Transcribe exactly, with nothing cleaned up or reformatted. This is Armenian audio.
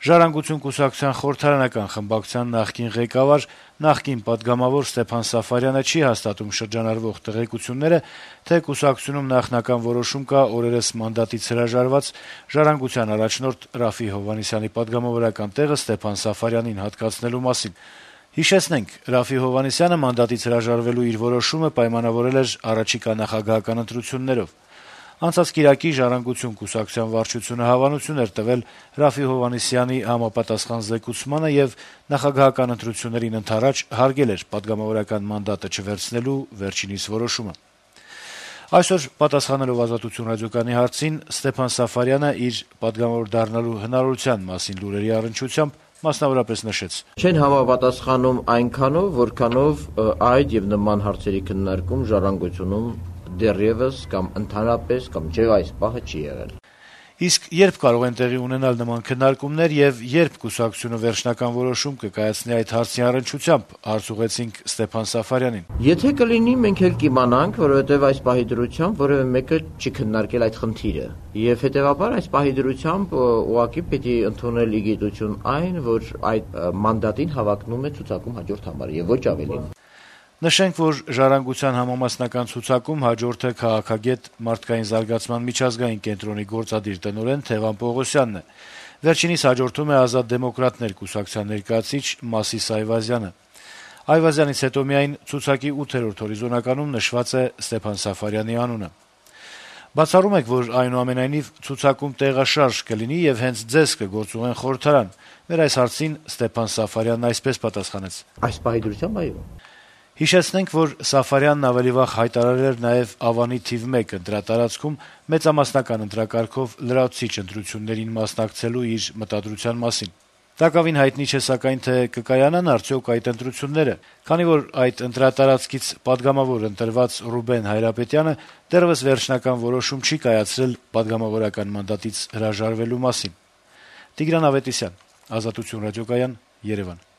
«Ժառանգություն» կուսակցության խորհրդարանական խմբակցության նախկին ղեկավար, նախկին պատգամավոր Ստեփան Սաֆարյանը չի հաստատում շրջանառվող տեղեկությունները, թե կուսակցությունում նախնական որոշում կա օրերս մանդատից հրաժարված «Ժառանգության» առաջնորդ Րաֆֆի Հովհաննիսյանի պատգամավորական տեղը Ստեփան Սաֆարյանին հատկացնելու մասին: Հիշեցնենք, Րաֆֆի Հովհաննիսյանը մանդատից հրաժարվելու իր որոշումը պայմանավորել էր առաջիկա նախագահական ընտրություններով: Անցած կիրակի «Ժառանգություն» կուսակցության վարչությունը հավանություն էր տվել Րաֆֆի Հովհաննիսյանի համապատասխան զեկուցմանը եւ նախագահական ընտրություններին ընդառաջ հարգել էր պատգամավորական մանդատը չվերցնելու վերջինիս որոշումը: Այսօր, պատասխանելով «Ազատություն» ռադիոկայանի հարցին, Ստեփան Սաֆարյանը իր պատգամավոր դառնալու հնարավորության մասին լուրերի առնչությամբ մասնավորապես նշեց. «Չեն համապատասխանում այնքանով, որքանով այդ եւ նման հարցերի քննարկում «Ժառանգությունում» դեռեւս կամ ընդհանրապես կամ չէ այս պահը չի եղել»: Իսկ երբ կարող են տեղի ունենալ նման քննարկումներ եւ երբ կուսակցությունը վերջնական որոշում կկայացնի այդ հարցի առնչությամբ, հարց ուղղեցինք Ստեփան Սաֆարյանին: «Եթե կլինի, մենք էլ կիմանանք, որովհետեւ այս պահի դրությամբ որեւէ մեկը չի քննարկել այդ խնդիրը, եւ հետեւաբար այս պահի դրությամբ ուղղակի պիտի ընդունել ի գիտություն այն, որ այդ մանդատին հավակնում է ցուցակում հաջորդ համար եւ ոչ ավելին»: Նշենք, որ «Ժառանգության» համամասնական ցուցակում հաջորդը քաղաքագետ, Մարդկային զարգացման միջազգային կենտրոնի գործադիր տնօրեն Թևան Պողոսյանն է: Վերջինիս հաջորդում է «Ազատ դեմոկրատներ» կուսակցության ներկայացուցիչ Մասիս Այվազյանը: Այվազյանից հետո միայն ցուցակի ութերորդ հորիզոնականում նշված է Ստեփան Սաֆարյանի անունը: Բացառում եք, որ այնուամենայնիվ ցուցակում տեղաշարժ կլինի եւ հենց ձեզ կգործուղեն խորհրդարան: Մեր այս հարցին Ստեփան Սաֆարյանն այսպես պատասխանեց. - «Այս պահի դրությամբ այո»: Հիշեցնենք, որ Սաֆարյանն ավելի վաղ հայտարարել էր նաեւ Ավանի թիվ մեկ ընտրատարածքում մեծամասնական ընտրակարգով լրացուցիչ ընտրություններին մասնակցելու իր մտադրության մասին: Տակավին հայտնի չէ սակայն, թե կկայանան արդյոք այդ ընտրությունները, քանի որ այդ ընտրատարածքից պատգամավոր ընտրված Ռուբեն Հայրապետյանը դեռեւս վերջնական որոշում չի կայացրել պատգամավորական մանդատից հրաժարվելու մասին: Տիգրան Ավետիսյան, «Ազատություն» ռադիոկայան, Երեւան: